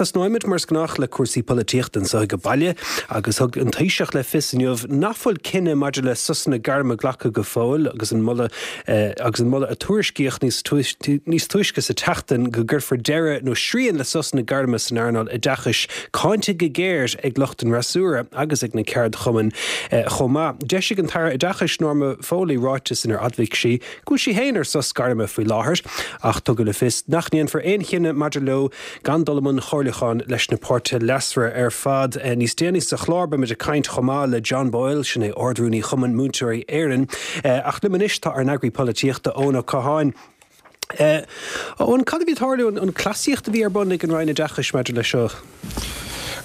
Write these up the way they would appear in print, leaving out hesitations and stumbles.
tosnóimid, mar is gnách, le cúrsaí polaitíochta anseo ag baile agus thug an Taoiseach le fios inniu nach bhfuil cinneadh maidir le sosanna gairme glactha go fóill agus an moladh agus an moladh a tuairiscíodh níos níos túisce sa tseachtain go gcuirfear deireadh nó srian le sosanna gairme san earnáil oideachais cáinte go géar ag lucht an fhreasúra agus ag na ceardchumainn chomh maith. D'eisigh an tAire Oideachais Norma Foley ráiteas inar admhaigh sí go bhfuil sí féin ar sos gairme faoi láthair ach tugadh le fios nach ndéanfar aon chinneadh maidir leo gan dul i mbun chomhairliúcháin leis na páirtithe leasmhara ar fad. Níos déanaí sa chlár beimid ag caint chomh maith le John Boyle, sin é Ard-Rúnaí Chumann Múinteoirí Éireann. Ach liom anois tá ár n-eagraí polaitíochta, Eoin Ó Catháin. Eoin, cad a bhí ag tarlú, an cleasaíocht a bhí ar bun ag an Roinn Oideachais maidir leis seo?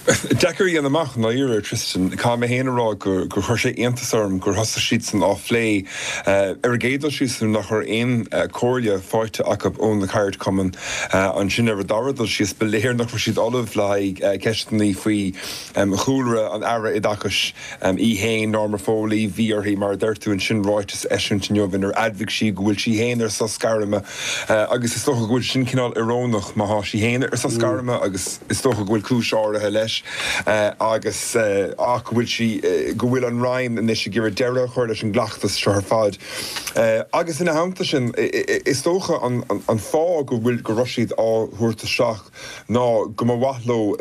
Deacair a dhéanamh amach, i ndáiríre, Tristan. Caithfidh mé féin a rá gur chuir sé iontas orm gur thosaigh siadsan á phlé ar an gcéad dul síos nuair nach raibh aon chomhairle faighte acu ó na ceardchumainn. Ansin ar an dara dul síos, ba léir nach raibh siad ullamh le haghaidh ceisteanna faoi chúlra an Aire Oideachais. Í féin, Norma Foley, bhí uirthi, mar a deir tú ansin, ráiteas a eisiúint inniu inar admhaigh sí go bhfuil sí féin ar sos gairme agus is dócha go bhfuil sin cineál iorónach má thá sí féin ar sos gairme agus is dócha go bhfuil cúis áirithe leis agus ach go bhfuil sí, go bhfuil an Roinn anois ag iarraidh deireadh a chur leis an gcleachtas seo ar fad. Agus ina theannta sin, is dócha an fáth go bhfuil, go raibh siad á thabhairt isteach, ná go mba mhaith leo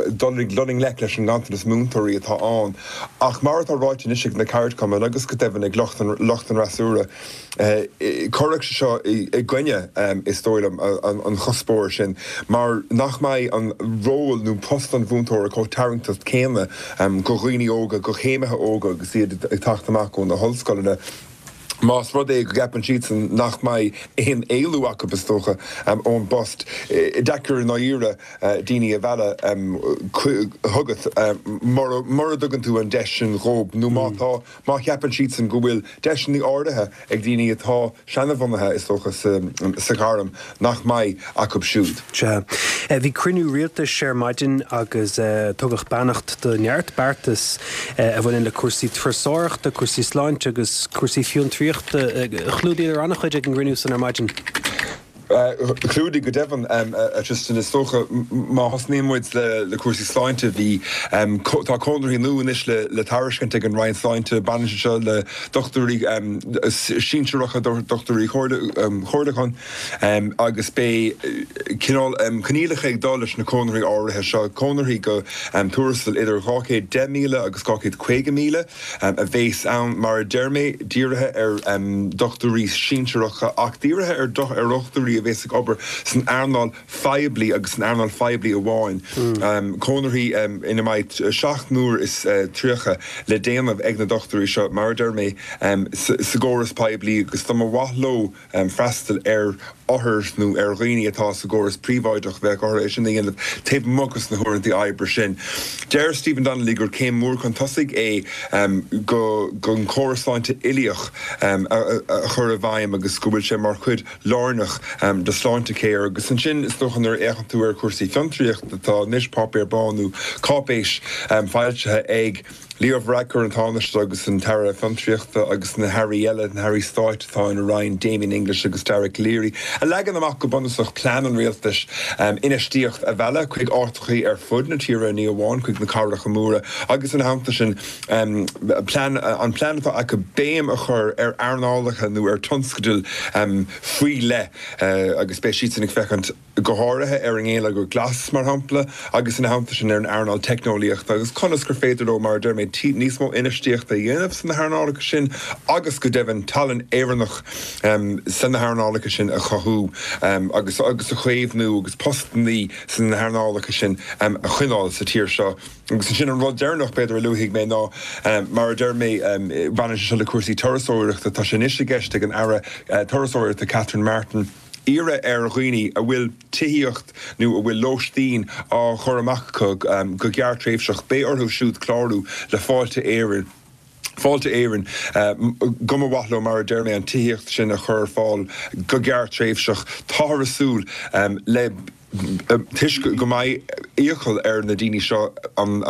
dul i ngleic leis an nganntanas múinteoirí atá ann. Ach mar atá ráite anois ag na ceardchumainn agus go deimhin ag lucht an fhreasúra, cuirfidh sé seo i gcoinne, is dóigh liom, an chuspóra sin mar nach mbeidh an ról nó post an mhúinteora chomh tarraingteach céanna do dhaoine óga, do chéimithe óga agus iad ag teacht amach ó na hollscoileanna. Más rud é go gceapann siadsan nach mbeidh aon éalú acu, is dócha, ón bpost, deacair i ndáiríre daoine a mhealladh chugat mura dtugann tú an deis sin dhóibh nó má tá, má cheapann siadsan go bhfuil deiseanna áirithe ag daoine atá seanbhunaithe, is dócha, sa ghairm nach mbeidh acu siúd. Sea. Bhí cruinniú rialtais ar maidin agus tugadh beannacht do neart beartas a bhaineann le cúrsaí turasóireachta, cúrsaí sláinte agus cúrsaí fiontraíochta. Chlúdaíodar an-chuid ag an gcruinniú san ar maidin. Chlúdaigh, go deimhin, a Tristan. Is dócha, má thosnaíonn muid le cúrsaí sláinte, bhí, tá conarthaí nua anois le tairiscint ag an Roinn Sláinte. Baineann sé seo le dochtúirí sinsearacha, dochtúirí comhairliúcháin. Agus beidh cineál coinníollacha ag dul leis na conarthaí áirithe seo, conarthaí go tuarastal idir 210,000 agus 250,000 a bhéas ann, mar a deir mé, dírithe ar dhochtúirí sinsearacha ach dírithe ar dhochtúirí a bhéas ag obair san earnáil phoiblí agus san earnáil phoiblí amháin. Conarthaí ina mbeidh 7 n-uair is 30 le déanamh ag na dochtúirí seo, mar a deir mé, sa gcóras poiblí agus dá mba mhaith leo freastal ar othair nó ar dhaoine atá sa gcóras príobháideach, bheadh orthu é sin a dhéanamh taobh amuigh de na huaireanta oibre sin. Deir Stephen Donnelly gur céim mhór chun tosaigh é go an córas sláinte uilíoch a chur i bhfeidhm agus go bhfuil sé mar chuid lárnach de Sláintecare. Agus ansin, is dócha, nuair a fhéachann tú ar chúrsaí fiontraíochta, tá anois páipéar bán nó cáipéis foilsithe ag. Leo Varadkar, an Tánaiste agus an tAire Fiontraíochta agus na hairí eile, na hairí stáit atá ina roinn, Damien English agus Dara Calleary, a leagann amach go bunúsach plean an rialtais infheistíocht a mhealladh chuig áiteachaí ar fud na tíre, ní amháin chuig na cathracha móra, agus ina theannta sin plean an plean atá acu béim a chur ar earnálacha nó ar tionscadail faoi leith agus beidh siadsan ag féachaint go háirithe ar an ngeilleagar glas, mar shampla, agus ina theannta sin ar an earnáil teicneolaíochta agus conas gur féidir leo, mar a deir mé, níos mó infheistíochta a dhéanamh sna hearnálacha sin agus, go deimhin, tallann Éireannach sna hearnálacha sin a chothú agus agus a chaomhnú agus postannaí sna hearnálacha sin a choinneáil sa tír seo. Agus ansin an rud deireanach, b'fhéidir, a luafaidh mé ná, mar a deir mé, baineann sé seo le cúrsaí turasóireachta, tá sé anois i gceist ag an Aire Turasóireachta Catherine Martin, iarraidh ar dhaoine a bhfuil tithíocht nó a bhfuil lóistín á chur amach acu go gearrtréimhseach, beidh orthu siúd clárú le Fáilte Éireann, Fáilte Éireann, go mba mhaith leo, mar a deir mé, an tithíocht sin a chur ar fáil go gearrtréimhseach. Táthar ag súil le, toisc go mbeidh. iachall ar na daoine seo an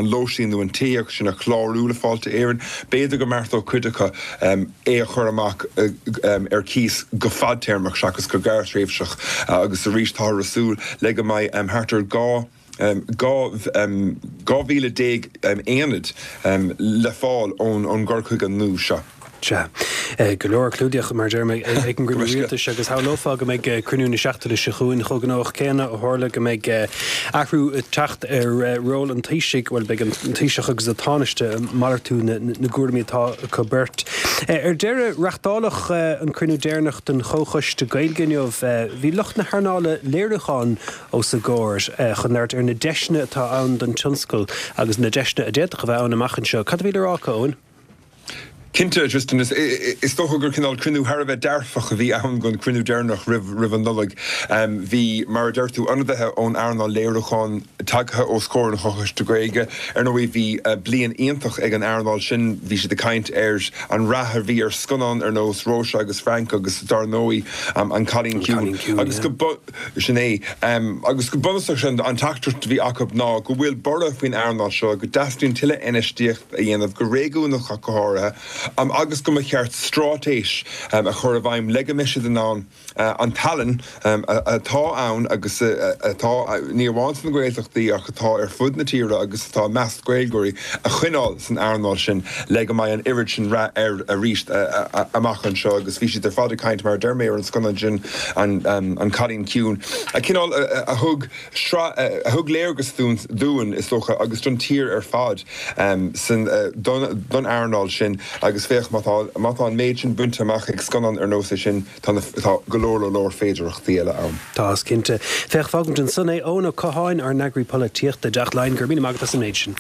lóistín nó an tithíocht sin a chlárú le Fáilte Éireann. B'fhéidir go mbeartódh cuid acu é a chur amach ar cíos go fadtéarmach seachas go gearrthréimhseach agus arís táthar ag súil le go mbeidh thart ar 12 12,000 aonad le fáil ón gcur chuige nua seo. Sea. Go leor clúdaíodh, mar a deirim, ag an gcruinniú rialtais agus shamhlófá go mbeidh cruinniú na seachtaine seo chugainn chomh gnóthach céanna ó tharla go mbeidh athrú ag teacht ar ról an Taoisigh, bhuel, beidh an Taoiseach agus an Tánaiste ag malartú na gcúraimí atá acu beirt. Ar deireadh, reachtáladh an cruinniú deireanach den Chomhchoiste Gaeilge inniu. Bhí lucht na hearnála léiriúcháin os a gcomhair chun labhairt ar na deiseanna atá ann don tionscal agus na deiseanna a d'fhéadfadh a bheith ann amach anseo. Cad a bhí le rá acu, Eoin? Cinnte, Tristan, is dócha gur cineál cruinniú thar a bheith dearfach a bhí ann don chruinniú deireanach roimh an Nollaig. Bhí, mar a deir tú, ionadaithe ón earnáil léiriúcháin tagtha os comhair an Chomhchoiste Gaeilge. Ar ndóigh, bhí bliain iontach ag an earnáil sin. Bhí siad ag caint ar an rath a bhí ar scannáin ar nós Róise agus Frank agus, dar ndóigh, An Cailín Ciúin. Agus go. Sin é. Agus go bunúsach, sin an teachtaireacht a bhí acu ná go bhfuil borradh faoin earnáil seo, go dteastaíonn tuilleadh infheistíocht a dhéanamh, go réigiúnach ach go háirithe, agus go mba cheart straitéis a chur i bhfeidhm le go mbeidh siad in ann an tallann atá ann agus atá, ní amháin sna Gaeltachtaí ach atá ar fud na tíre agus atá i measc Gaeilgeoirí, a choinneáil san earnáil sin le go mbeidh an oiread sin rath air arís amach anseo. Agus bhí siad ar fad ag caint, mar a deir mé, ar an scannán sin, An Cailín Ciúin, a cineál a thug sraith, a thug léargas dúinn, is dócha, agus don tír ar fad san, don earnáil sin. Agus féach, má tá, má tá an méid sin bainte amach ag scannán ar nós é sin, tá na, tá go leor, leor féidearthachtaí eile ann. Tá, is cinnte. Féach, fágfaimid ansan é. Eoin Ó Catháin, ár n-eagraí polaitíochta i dTeach Laighean, go raibh míle maith agat as an méid sin.